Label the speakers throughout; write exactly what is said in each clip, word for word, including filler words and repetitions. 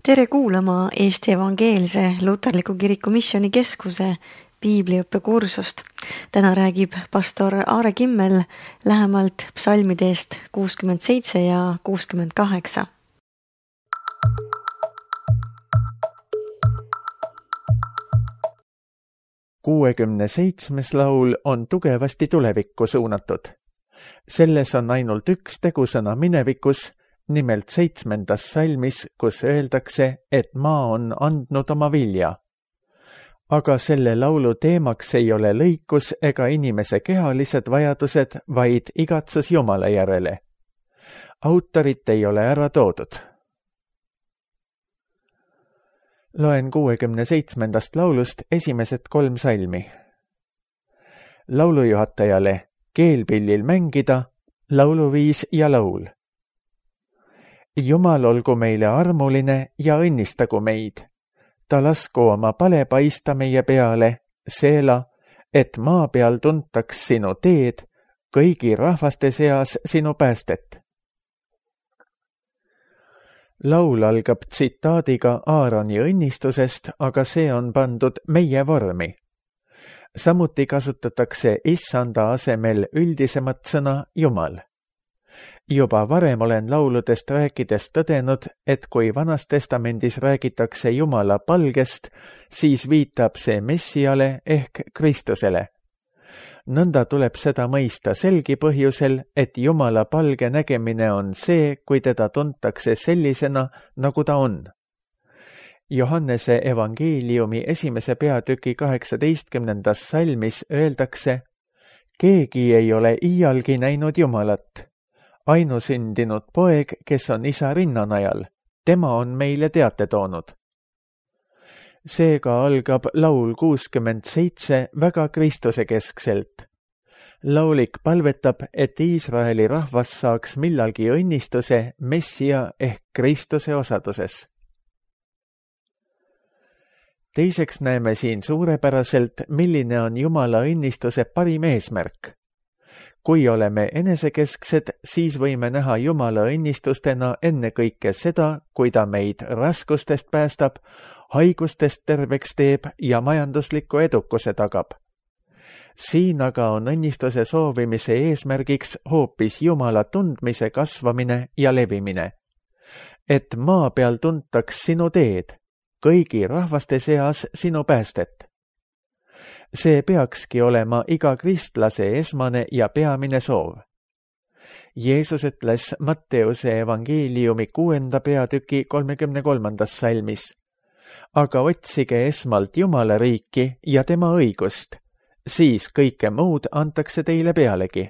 Speaker 1: Tere kuulama Eesti Evangeelse Luterliku Kiriku Missioni Keskuse piibliõppekursust. Täna räägib pastor Aare Kimmel lähemalt psalmidest kuuskümmend seitse ja kuuskümmend kaheksa.
Speaker 2: kuuekümne seitsmes laul on tugevasti tulevikku suunatud. Selles on ainult üks tegusõna minevikus, nimelt seitsmendas salmis, kus öeldakse, et maa on andnud oma vilja. Aga selle laulu teemaks ei ole lõikus ega inimese kehalised vajadused, vaid igatsus Jumala järele. Autorit ei ole ära toodud. Loen kuuekümne seitsmendast laulust esimesed kolm salmi. Laulujuhatajale keelpillil mängida, lauluviis ja laul. Jumal olgu meile armuline ja õnnistagu meid. Ta lasku oma pale paista meie peale, seela, et maa peal tuntaks sinu teed, kõigi rahvaste seas sinu päästet. Laul algab tsitaadiga Aaroni õnnistusest, aga see on pandud meie vormi. Samuti kasutatakse issanda asemel üldisemat sõna Jumal. Juba varem olen lauludest rääkides tõdenud, et kui Vanas Testamendis räägitakse Jumala palgest, siis viitab see Messiale ehk Kristusele. Nõnda tuleb seda mõista selgi põhjusel, et Jumala palge nägemine on see, kui teda tuntakse sellisena, nagu ta on. Johannese evangeeliumi esimese peatüki kaheksateistkümnendas salmis öeldakse, keegi ei ole iialgi näinud Jumalat. Ainusündinud poeg, kes on isa rinnanajal, tema on meile teate toonud. Seega algab laul kuuskümmend seitse väga Kristuse keskselt. Laulik palvetab, et Iisraeli rahvas saaks millalgi õnnistuse Messia ehk Kristuse osaduses. Teiseks näeme siin suurepäraselt, milline on Jumala õnnistuse parim eesmärk. Kui oleme enesekesksed, siis võime näha Jumala õnnistustena ennekõike seda, kui ta meid raskustest päästab, haigustest terveks teeb ja majandusliku edukuse tagab. Siin aga on õnnistuse soovimise eesmärgiks hoopis Jumala tundmise kasvamine ja levimine. Et maa peal tuntaks sinu teed, kõigi rahvaste seas sinu päästet. See peakski olema iga kristlase esmane ja peamine soov. Jeesus ütles Matteuse evangeeliumi kuuenda peatüki kolmekümne kolmandas salmis. Aga otsige esmalt Jumala riiki ja tema õigust, siis kõike muud antakse teile pealegi.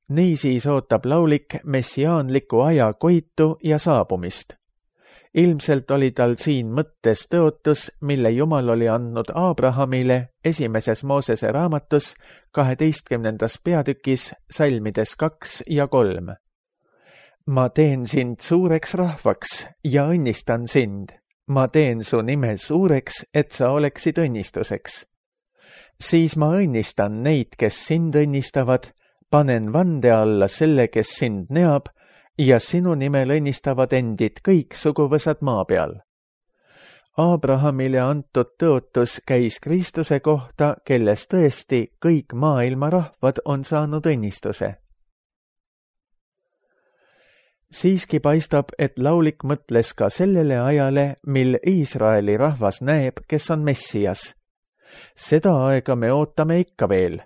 Speaker 2: Niisiis ootab laulik messiaanliku aja koitu ja saabumist. Ilmselt oli tal siin mõttes tõotus, mille Jumal oli andnud Abrahamile esimeses Moosese raamatus kaheteistkümnendas peatükis salmides kaks ja kolm. Ma teen sind suureks rahvaks ja õnnistan sind. Ma teen su nime suureks, et sa oleksid õnnistuseks. Siis ma õnnistan neid, kes sind õnnistavad, panen vande alla selle, kes sind neab, ja sinu nimel õnnistavad endid kõik suguvõsad maa peal. Abrahamile antud tõotus käis Kristuse kohta, kelles tõesti kõik maailma rahvad on saanud õnnistuse. Siiski paistab, et laulik mõtles ka sellele ajale, mil Iisraeli rahvas näeb, kes on Messias. Seda aega me ootame ikka veel.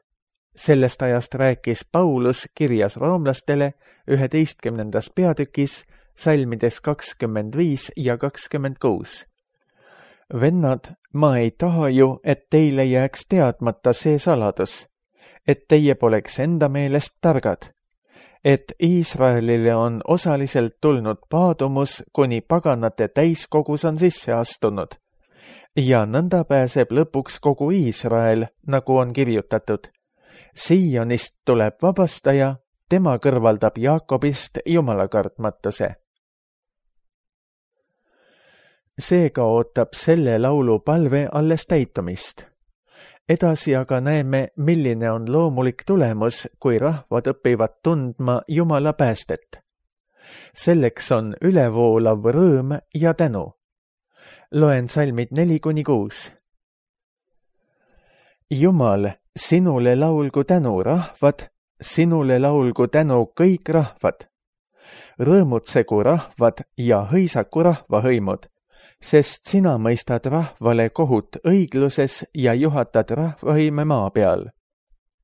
Speaker 2: Sellest ajast rääkis Paulus kirjas roomlastele üheteistkümnendas peatükis salmides kakskümmend viis ja kakskümmend kuus. Vennad, ma ei taha ju, et teile jääks teadmata see saladus, et teie poleks enda meelest targad, et Iisraelile on osaliselt tulnud paadumus, kuni paganate täiskogus on sisse astunud, ja nõnda pääseb lõpuks kogu Iisrael, nagu on kirjutatud. Siionist tuleb vabastaja, tema kõrvaldab Jaakobist jumalakartmatuse. Seega ootab selle laulu palve alles täitumist. Edasi aga näeme, milline on loomulik tulemus, kui rahvad õpivad tundma Jumala päästet. selleks on ülevoolav rõõm ja tänu. Loen salmid neli kuni kuus. Jumal, sinule laulgu tänu rahvad, sinule laulgu tänu kõik rahvad. Rõõmutsegu rahvad ja hõisaku rahvahõimud, sest sina mõistad rahvale kohut õigluses ja juhatad rahvahõime maa peal.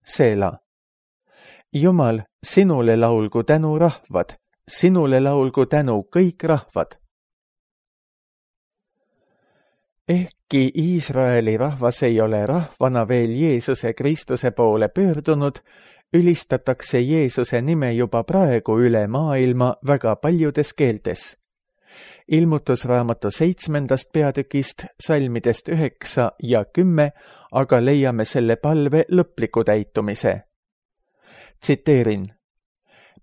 Speaker 2: Seela. Jumal, sinule laulgu tänu rahvad, sinule laulgu tänu kõik rahvad. Ehkki Iisraeli rahvas ei ole rahvana veel Jeesuse Kristuse poole pöördunud, ülistatakse Jeesuse nime juba praegu üle maailma väga paljudes keeltes. Ilmutusraamatu seitsmendast peatükist, salmidest üheksa ja kümme, aga leiame selle palve lõpliku täitumise. Tsiteerin.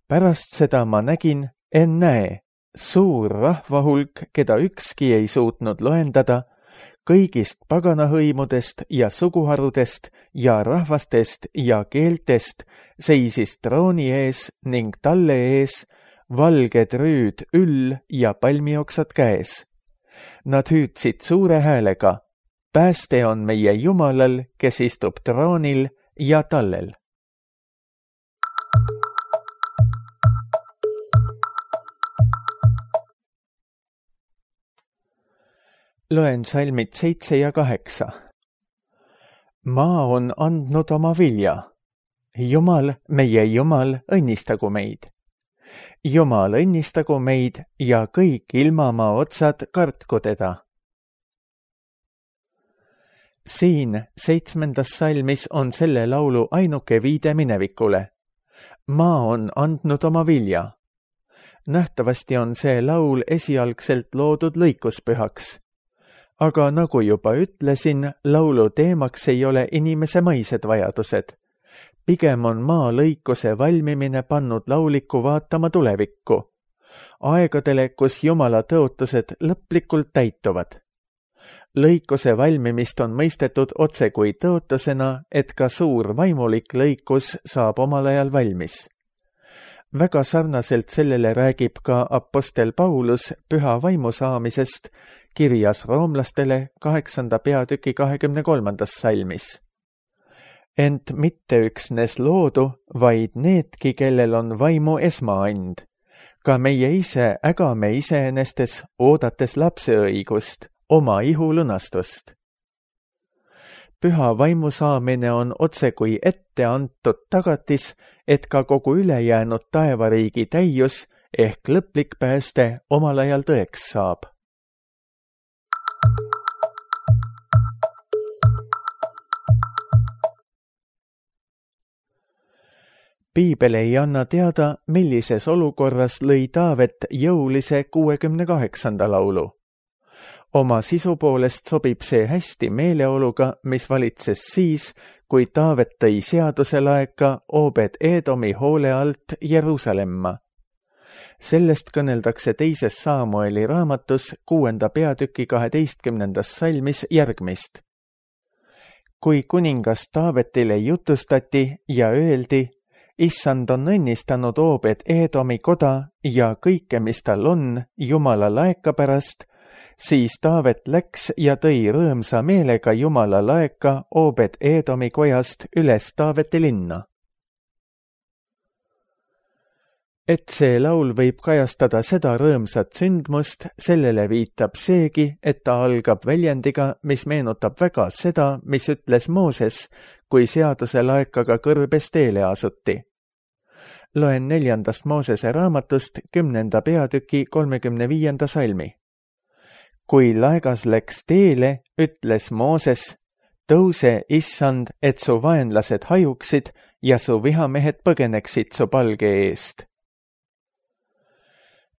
Speaker 2: Pärast seda ma nägin, en näe, suur rahvahulk, keda ükski ei suutnud loendada, kõigist paganahõimudest ja suguharudest ja rahvastest ja keeltest seisis trooni ees ning talle ees valged rüüd üll ja palmioksad käes. Nad hüüdsid suure häälega, pääste on meie Jumalal, kes istub troonil ja tallel. Loen salmid seitse ja kaheksa. Maa on andnud oma vilja. Jumal, meie Jumal, õnnistagu meid. Jumal, õnnistagu meid ja kõik ilmamaa otsad kartku teda. Siin seitsmendas salmis on selle laulu ainuke viide minevikule. Maa on andnud oma vilja. Nähtavasti on see laul esialgselt loodud lõikuspühaks. Aga nagu juba ütlesin, laulu teemaks ei ole inimese maised vajadused. Pigem on maa lõikuse valmimine pannud lauliku vaatama tulevikku. Aegadele, kus Jumala tõotused lõplikult täituvad. Lõikuse valmimist on mõistetud otse kui tõotusena, et ka suur vaimulik lõikus saab omal ajal valmis. Väga sarnaselt sellele räägib ka apostel Paulus püha vaimu saamisest kirjas roomlastele kaheksanda peatüki kahekümne kolmandas salmis. Ent mitte üksnes loodu, vaid needki, kellel on vaimu esmaand. Ka meie ise ägame iseenestes, oodates lapseõigust, oma ihu lunastust. Püha vaimu saamine on otse kui ette antud tagatis, et ka kogu ülejäänud taevariigi täius ehk lõplik pääste omal ajal tõeks saab. Piibel ei anna teada, millises olukorras lõi Taavet jõulise kuuekümne kaheksanda laulu. Oma sisu poolest sobib see hästi meeleoluga, mis valitses siis, kui Taavet tõi seaduse laeka Obed Edomi hoole alt Jeruusalemma. Sellest kõneldakse teises Saamueli raamatus kuuenda peatüki kaheteistkümnendas salmis järgmist. Kui kuningas Taavetile jutustati ja öeldi, Issand on õnnistanud Obed Edomi koda ja kõike, mis tal on, Jumala laeka pärast, siis Taavet läks ja tõi rõõmsa meelega Jumala laeka Obed Edomi kojast üles Taaveti linna. Et see laul võib kajastada seda rõõmsat sündmust, sellele viitab seegi, et ta algab väljendiga, mis meenutab väga seda, mis ütles Mooses, kui seaduse laekaga kõrbes teele asuti. Loen neljandast Moosese raamatust kümnenda peatüki kolmekümne viienda salmi. Kui laegas läks teele, ütles Mooses, tõuse, Issand, et su vaenlased hajuksid ja su vihamehed põgeneksid su palge eest.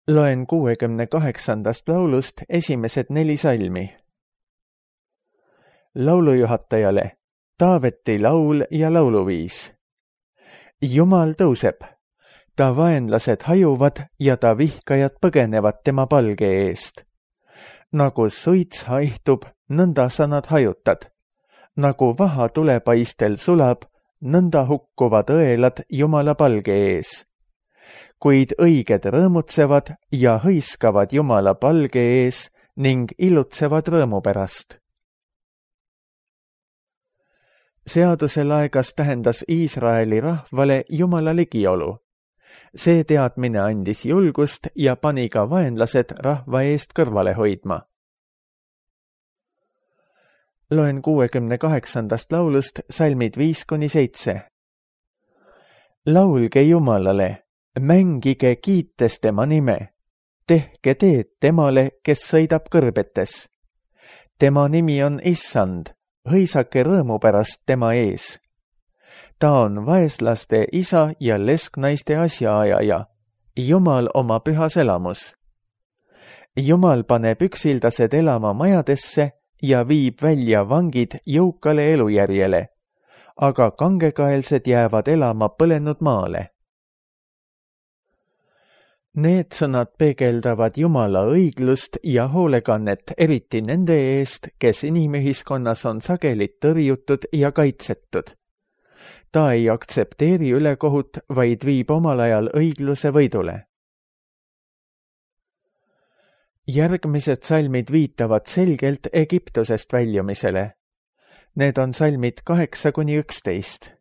Speaker 2: Loen kuuekümne kaheksandast laulust esimesed neli salmi. Laulujuhatajale, Taaveti laul ja lauluviis. Jumal tõuseb, ta vaenlased hajuvad ja ta vihkajad põgenevad tema palge eest. Nagu suits haihtub, nõnda sa nad hajutad. Nagu vaha tulepaistel sulab, nõnda hukkuvad õelad Jumala palge ees. kuid õiged rõõmutsevad ja hõiskavad Jumala palge ees ning ilutsevad rõõmu pärast. Seaduse laegas tähendas Iisraeli rahvale Jumala ligiolu. See teadmine andis julgust ja pani ka vaenlased rahva eest kõrvale hoidma. Loen kuuekümne kaheksandast laulust salmid viis kuni seitse. Laulge Jumalale, mängige kiites tema nime, tehke teed temale, kes sõidab kõrbetes. Tema nimi on Issand, hõisake rõõmu pärast tema ees. Ta on vaeslaste isa ja lesknaiste asjaajaja, Jumal oma pühas elamus. Jumal paneb üksildased elama majadesse ja viib välja vangid jõukale elujärjele, aga kangekaelsed jäävad elama põlenud maale. Need sõnad peegeldavad Jumala õiglust ja hoolekannet eriti nende eest, kes inimühiskonnas on sageli tõrjutud ja kaitsetud. Ta ei aktsepteeri ülekohut, vaid viib omal ajal õigluse võidule. Järgmised salmid viitavad selgelt Egiptusest väljumisele. Need on salmid kaheksa kuni üksteist.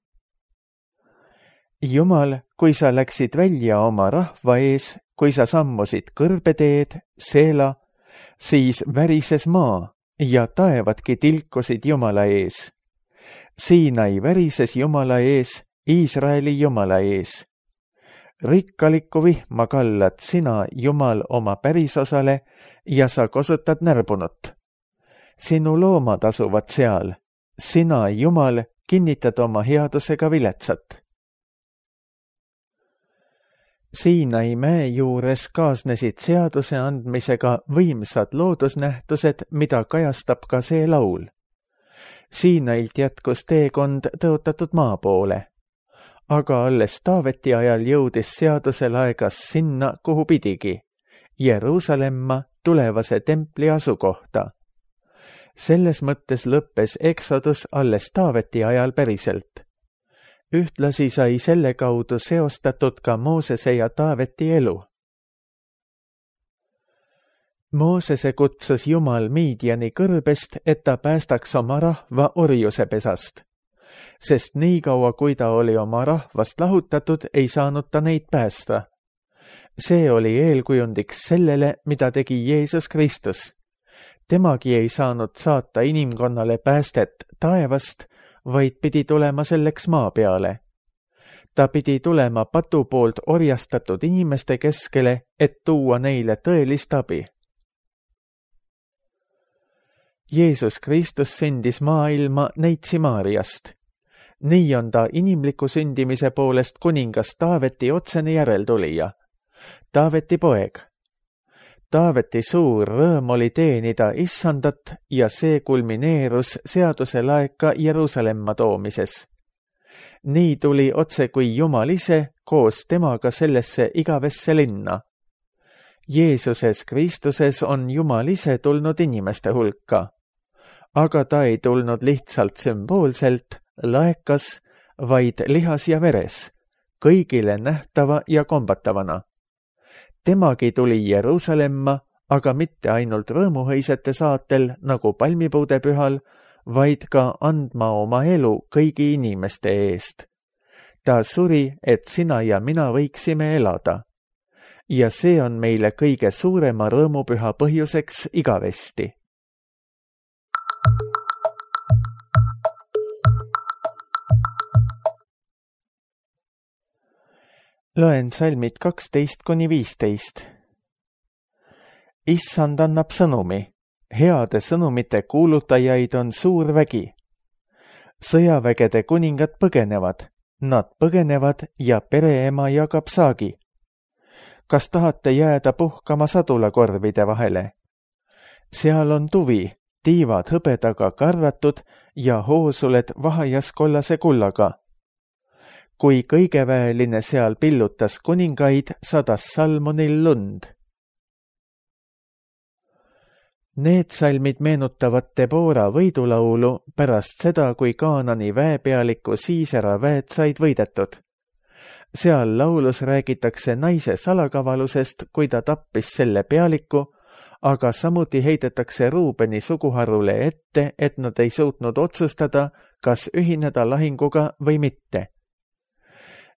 Speaker 2: Jumal, kui sa läksid välja oma rahva ees, kui sa sammusid kõrbeteed, Seela, siis värises maa ja taevadki tilkusid Jumala ees. Siinai värises Jumala ees, Iisraeli Jumala ees. Rikkalikku vihma kallad sina, Jumal, oma pärisosale ja sa kosutad närbunut. Sinu loomad asuvad seal. Sina, Jumal, kinnitad oma headusega viletsat. Siinai mäe juures kaasnesid seaduse andmisega võimsad loodusnähtused, mida kajastab ka see laul. Siinailt jätkus teekond tõotatud maa poole. Aga alles Taaveti ajal jõudis seaduse laegas sinna, kuhu pidigi, Jeruusalemma tulevase templi asukohta. Selles mõttes lõppes Exodus alles Taaveti ajal päriselt. Ühtlasi sai selle kaudu seostatud ka Moosese ja Taaveti elu. Moosese kutsus Jumal Midiani kõrbest, et ta päästaks oma rahva orjuse pesast. Sest nii kaua, kui ta oli oma rahvast lahutatud, ei saanud ta neid päästa. See oli eelkujundiks sellele, mida tegi Jeesus Kristus. Temagi ei saanud saata inimkonnale päästet taevast, vaid pidi tulema selleks maa peale. Ta pidi tulema patu poolt orjastatud inimeste keskele, et tuua neile tõelist abi. Jeesus Kristus sündis maailma Neitsi Maariast. Nii on ta inimliku sündimise poolest kuningas Taaveti otsene järeltulija. Taaveti poeg. Taaveti suur rõõm oli teenida Issandat ja see kulmineerus seaduse laeka Jeruusalemma toomises. Nii tuli otse kui Jumal ise koos temaga sellesse igavesse linna. Jeesuses Kristuses on Jumal ise tulnud inimeste hulka. Aga ta ei tulnud lihtsalt sümboolselt, laekas, vaid lihas ja veres, kõigile nähtava ja kombatavana. Temagi tuli Jeruusalemma, aga mitte ainult rõõmuhõisete saatel nagu palmipuude pühal, vaid ka andma oma elu kõigi inimeste eest. Ta suri, et sina ja mina võiksime elada. Ja see on meile kõige suurema rõõmupüha põhjuseks igavesti. Loen salmid kaksteist kuni viisteist. Issand annab sõnumi. Heade sõnumite kuulutajaid on suur vägi. Sõjavägede kuningad põgenevad. Nad põgenevad ja pereema jagab saagi. Kas tahate jääda puhkama sadulakorvide vahele? Seal on tuvi, tiivad hõbedaga karvatud ja hoosuled vahajas kollase kullaga. Kui kõigeväeline seal pillutas kuningaid, sadas Salmonil lund. Need salmid meenutavad Debora võidulaulu pärast seda, kui Kaanani väepealiku Siisera väed said võidetud. seal laulus räägitakse naise salakavalusest, kui ta tappis selle pealiku, aga samuti heidetakse Ruubeni suguharule ette, et nad ei suutnud otsustada, kas ühineda lahinguga või mitte.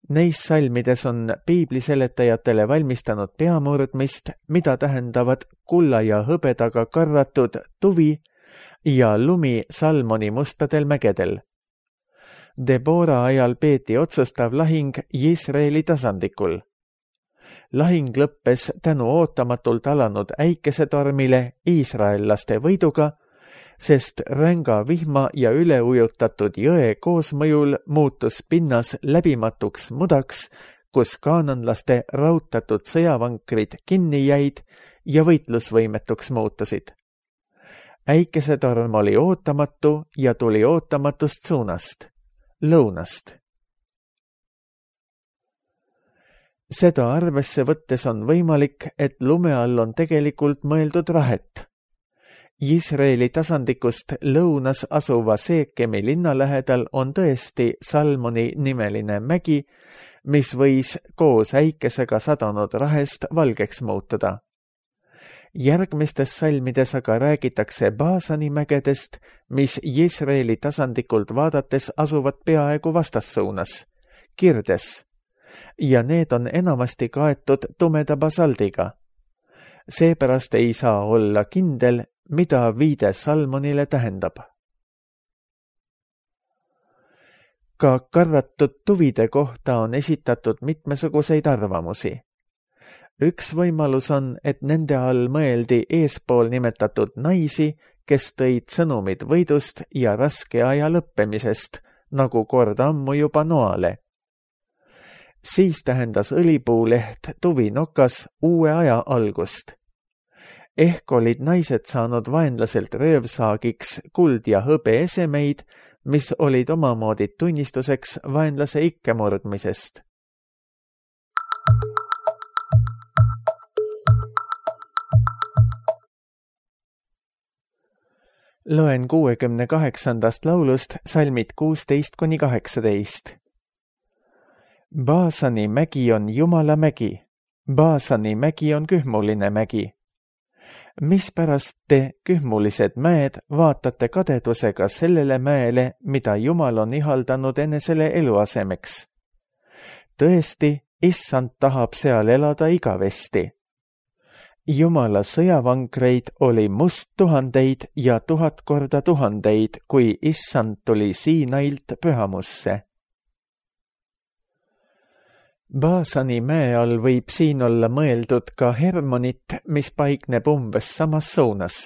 Speaker 2: Neis salmides on piibliseletajatele valmistanud peamurdmist, mida tähendavad kulla ja hõbedaga karvatud tuvi ja lumi Salmoni mustadel mägedel. Debora ajal peeti otsustav lahing Iisraeli tasandikul. Lahing lõppes tänu ootamatult alanud äikesetormile iisraellaste võiduga, sest ränga vihma ja üleujutatud jõe koosmõjul muutus pinnas läbimatuks mudaks, kus kaananlaste rautatud sõjavankrid kinni jäid ja võitlusvõimetuks muutusid. Äikesetorm oli ootamatu ja tuli ootamatust suunast, lõunast. Seda arvesse võttes on võimalik, et lume all on tegelikult mõeldud rahet. Iisraeli tasandikust lõunas asuva Seekemi linna lähedal on tõesti Salmoni nimeline mägi, mis võis koos äikesega sadanud rahest valgeks muutuda. Järgmistes salmides aga räägitakse Baasani mägedest, mis Iisraeli tasandikult vaadates asuvad peaaegu vastassuunas, Kirdes, ja need on enamasti kaetud tumeda basaldiga. Seepärast ei saa olla kindel, mida viide Salmonile tähendab. Ka karvatud tuvide kohta on esitatud mitmesuguseid arvamusi. Üks võimalus on, et nende all mõeldi eespool nimetatud naisi, kes tõid sõnumid võidust ja raske aja lõppemisest, nagu kord ammu juba Noale. Siis tähendas õlipuuleht tuvinokas uue aja algust. Ehk olid naised saanud vaenlaselt röövsaagiks kuld ja hõbe esemeid, mis olid omamoodi tunnistuseks vaenlase ikkemurdmisest. Loen kuuekümne kaheksandast laulust salmid kuusteist kuni kaheksateist. Baasani mägi on Jumala mägi, Baasani mägi on kühmuline mägi. Mispärast te, kühmulised mäed, vaatate kadedusega sellele mäele, mida Jumal on ihaldanud enesele eluasemeks? Tõesti, issand tahab seal elada igavesti. Jumala sõjavankreid oli must tuhandeid ja tuhat korda tuhandeid, kui issand tuli Siinailt pühamusse. Baasani mäe all võib siin olla mõeldud ka Hermonit, mis paikneb umbes samas suunas.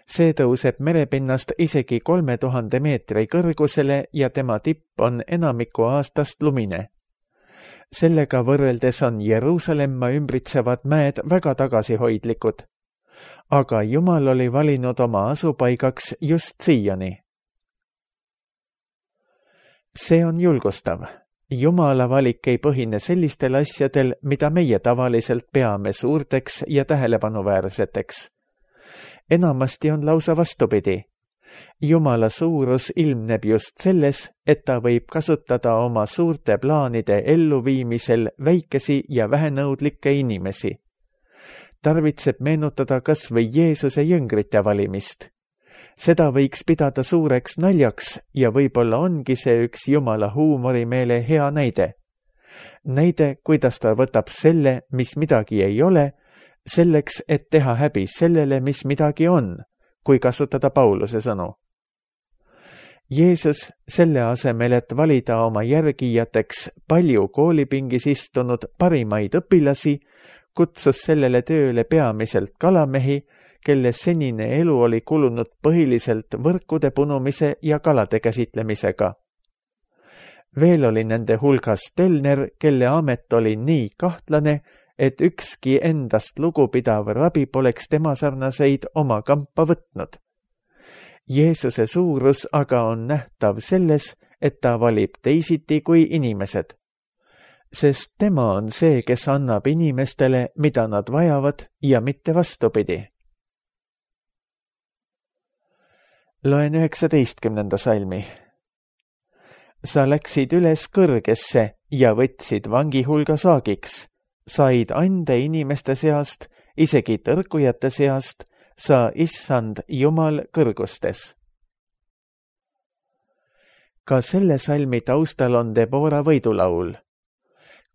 Speaker 2: See tõuseb merepinnast isegi kolme tuhande meetri kõrgusele ja tema tipp on enamiku aastast lumine. Sellega võrreldes on Jeruusalemma ümbritsevad mäed väga tagasihoidlikud. Aga Jumal oli valinud oma asupaigaks just Siioni. See on julgustav. Jumala valik ei põhine sellistel asjadel, mida meie tavaliselt peame suurteks ja tähelepanuväärseteks. Enamasti on lausa vastupidi. Jumala suurus ilmneb just selles, et ta võib kasutada oma suurte plaanide elluviimisel väikesi ja vähenõudlikke inimesi. Tarvitseb meenutada kas või Jeesuse jüngrite valimist. Seda võiks pidada suureks naljaks ja võib-olla ongi see üks Jumala huumorimeele hea näide. Näide, kuidas ta võtab selle, mis midagi ei ole, selleks, et teha häbi sellele, mis midagi on, kui kasutada Pauluse sõnu. Jeesus, selle asemel, et valida oma järgijateks palju koolipingis istunud parimaid õpilasi, kutsus sellele tööle peamiselt kalamehi, kelle senine elu oli kulunud põhiliselt võrkude punumise ja kalade käsitlemisega. Veel oli nende hulgas tölner, kelle amet oli nii kahtlane, et ükski endast lugupidav rabi poleks tema sarnaseid oma kampa võtnud. Jeesuse suurus aga on nähtav selles, et ta valib teisiti kui inimesed. Sest tema on see, kes annab inimestele, mida nad vajavad ja mitte vastupidi. Loen üheksateistkümnenda salmi. sa läksid üles kõrgesse ja võtsid vangi hulga saagiks, said ande inimeste seast, isegi tõrkujate seast, sa, issand Jumal kõrgustes. Ka selle salmi taustal on Debora võidulaul.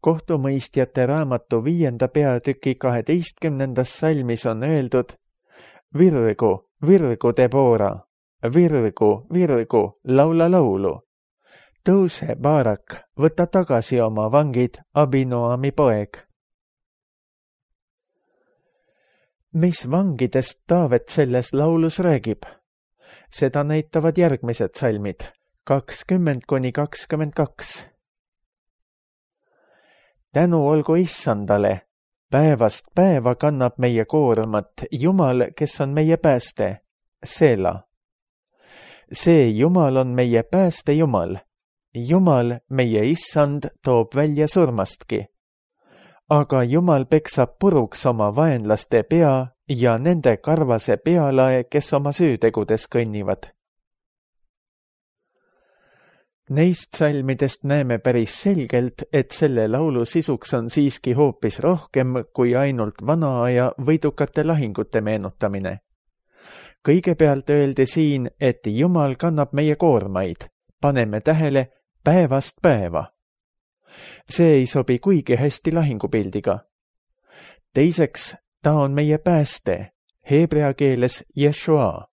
Speaker 2: Kohtumõistjate raamatu viienda peatüki kaheteistkümnendas salmis on öeldud: Virgu, virgu Debora, virgu, virgu, laula laulu. Tõuse, Barak, võta tagasi oma vangid, Abinoami poeg. Mis vangidest Taavet selles laulus räägib? Seda näitavad järgmised salmid, kakskümmend kuni kakskümmend kaks. Tänu olgu issandale, päevast päeva kannab meie koormat Jumal, kes on meie pääste, Seela. See Jumal on meie pääste Jumal. Jumal, meie issand, toob välja surmastki. Aga Jumal peksab puruks oma vaenlaste pea ja nende karvase pealae, kes oma süütegudes kõnnivad. Neist salmidest näeme päris selgelt, et selle laulu sisuks on siiski hoopis rohkem kui ainult vana aja võidukate lahingute meenutamine. Kõigepealt öeldi siin, et Jumal kannab meie koormaid, paneme tähele, päevast päeva. See ei sobi kuigi hästi lahingupildiga. Teiseks, ta on meie pääste, heebrea keeles Jeshua.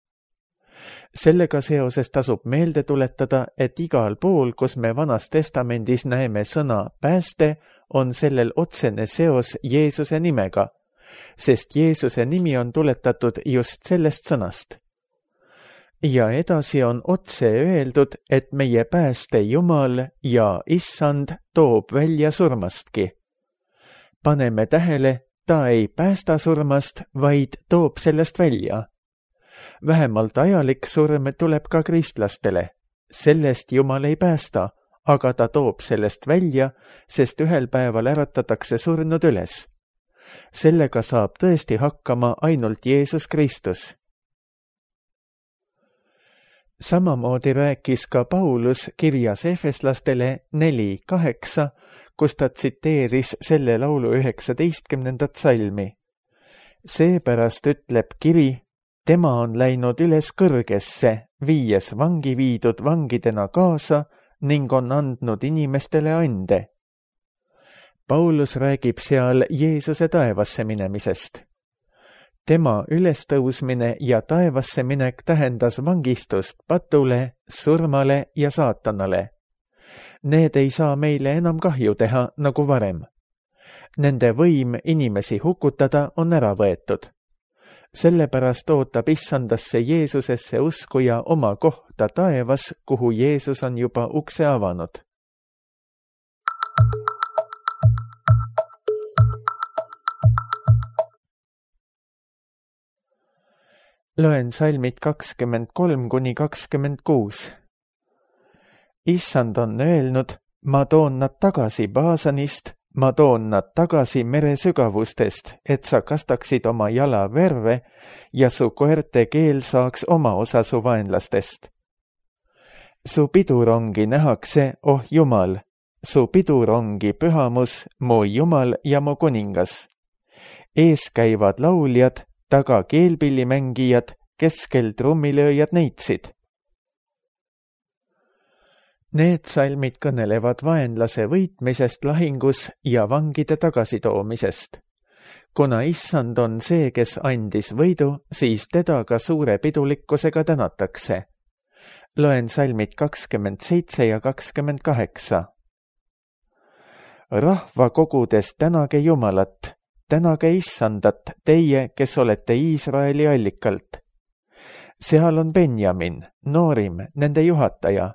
Speaker 2: Sellega seoses tasub meelde tuletada, et igal pool, kus me Vanas Testamendis näeme sõna pääste, on sellel otsene seos Jeesuse nimega, sest Jeesuse nimi on tuletatud just sellest sõnast. Ja edasi on otse öeldud, et meie pääste Jumal ja issand toob välja surmastki. Paneme tähele, ta ei päästa surmast, vaid toob sellest välja. Vähemalt ajalik surm tuleb ka kristlastele. Sellest Jumal ei päästa, aga ta toob sellest välja, sest ühel päeval äratatakse surnud üles. Sellega saab tõesti hakkama ainult Jeesus Kristus. Samamoodi rääkis ka Paulus kirjas efeslastele neli kaheksa, kus ta tsiteeris selle laulu üheksateistkümnendat salmi. Seepärast ütleb kiri, tema on läinud üles kõrgesse, viies vangi viidud vangidena kaasa ning on andnud inimestele ande. Paulus räägib seal Jeesuse taevasse minemisest. Tema ülestõusmine ja taevasse minek tähendas vangistust patule, surmale ja saatanale. Need ei saa meile enam kahju teha nagu varem. Nende võim inimesi hukutada on ära võetud. Sellepärast ootab issandasse Jeesusesse uskuja oma kohta taevas, kuhu Jeesus on juba ukse avanud. Loen salmid kakskümmend kolm kuni kakskümmend kuus. Issand on öelnud, ma toon nad tagasi Baasanist, ma toon nad tagasi mere sügavustest, et sa kastaksid oma jala verve ja su koerte keel saaks oma osa su vaenlastest. Su pidurongi nähakse, oh Jumal, su pidurongi pühamus, mu Jumal ja mu kuningas. Ees käivad lauljad, taga keelpillimängijad, keskel trummilööjad neitsid. Need salmid kõnelevad vaenlase võitmisest lahingus ja vangide tagasitoomisest. Kuna issand on see, kes andis võidu, siis teda ka suure pidulikkusega tänatakse. Loen salmid kakskümmend seitse ja kakskümmend kaheksa. Rahva kogudes tänage Jumalat, tänage issandat, teie, kes olete Iisraeli allikalt. Seal on Benjamin, noorim, nende juhataja,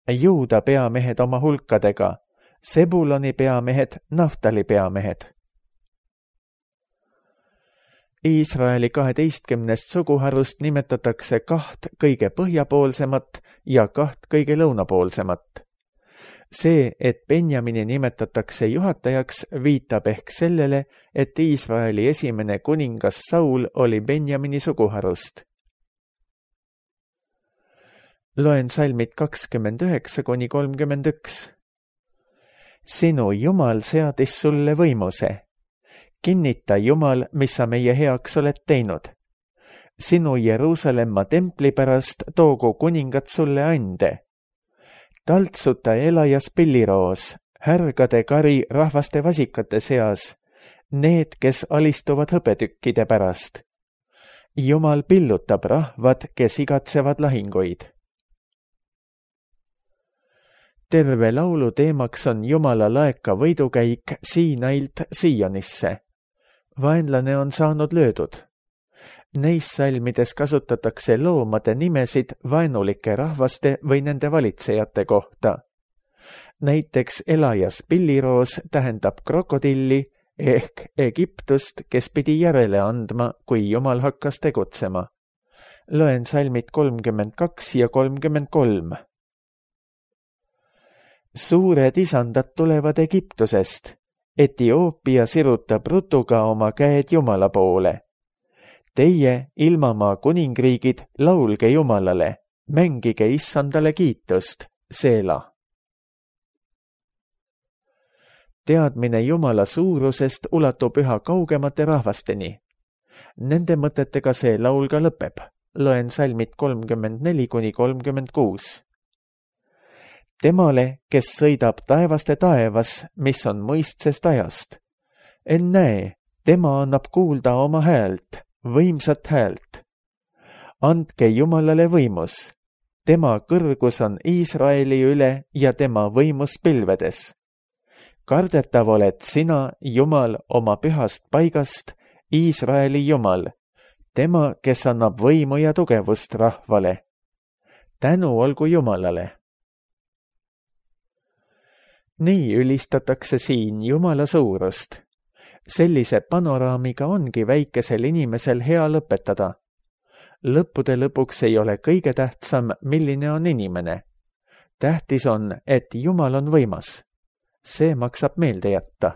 Speaker 2: Juuda peamehed oma hulkadega, Sebuloni peamehed, Naftali peamehed. Iisraeli kaheteistkümnest suguharust nimetatakse kaht kõige põhjapoolsemat ja kaht kõige lõunapoolsemat. See, et Benjamini nimetatakse juhatajaks, viitab ehk sellele, et Iisraeli esimene kuningas Saul oli Benjamini suguharust. Loen salmid kakskümmend üheksa kuni kolmkümmend üks. Sinu Jumal seadis sulle võimuse. Kinnita Jumal, mis sa meie heaks oled teinud. Sinu Jeruusalemma templi pärast toogu kuningad sulle ande. Taltsuta elajas pilliroos, härgade kari rahvaste vasikate seas, need, kes alistuvad hõbetükkide pärast. Jumal pillutab rahvad, kes igatsevad lahinguid. Terve laulu teemaks on Jumala laeka võidukäik Siinailt Sionisse. Vaenlane on saanud löödud. Neis salmides kasutatakse loomade nimesid vaenulike rahvaste või nende valitsejate kohta. Näiteks elajas pilliroos tähendab krokodilli ehk Egiptust, kes pidi järele andma, kui Jumal hakkas tegutsema. Loen salmid kolmkümmend kaks ja kolmkümmend kolm. Suured isandad tulevad Egiptusest. Etioopia sirutab rutuga oma käed Jumala poole. Teie, ilmamaa kuningriigid, laulge Jumalale, mängige issandale kiitust, Seela. Teadmine Jumala suurusest ulatub üha kaugemate rahvasteni. Nende mõtetega see laul ka lõpeb. Loen salmid kolmkümmend neli kuni kolmkümmend kuus. Temale, kes sõidab taevaste taevas, mis on mõistsest ajast. Ennäe, tema annab kuulda oma häält, võimsat häält. Andke Jumalale võimus. Tema kõrgus on Iisraeli üle ja tema võimus pilvedes. Kardetav oled sina, Jumal, oma pühast paigast, Iisraeli Jumal, tema, kes annab võimu ja tugevust rahvale. Tänu olgu Jumalale. Nii ülistatakse siin Jumala suurust. Sellise panoraamiga ongi väikesel inimesel hea lõpetada. Lõppude lõpuks ei ole kõige tähtsam, milline on inimene. Tähtis on, et Jumal on võimas. See maksab meelde jätta.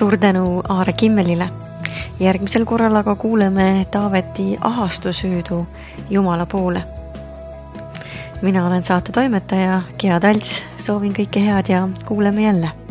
Speaker 1: Suur tänu Aare Kimmelile. Järgmisel korral aga kuuleme Taaveti ahastusüüdu Jumala poole. Mina olen saate toimetaja Gea Talts, soovin kõike head ja kuuleme jälle.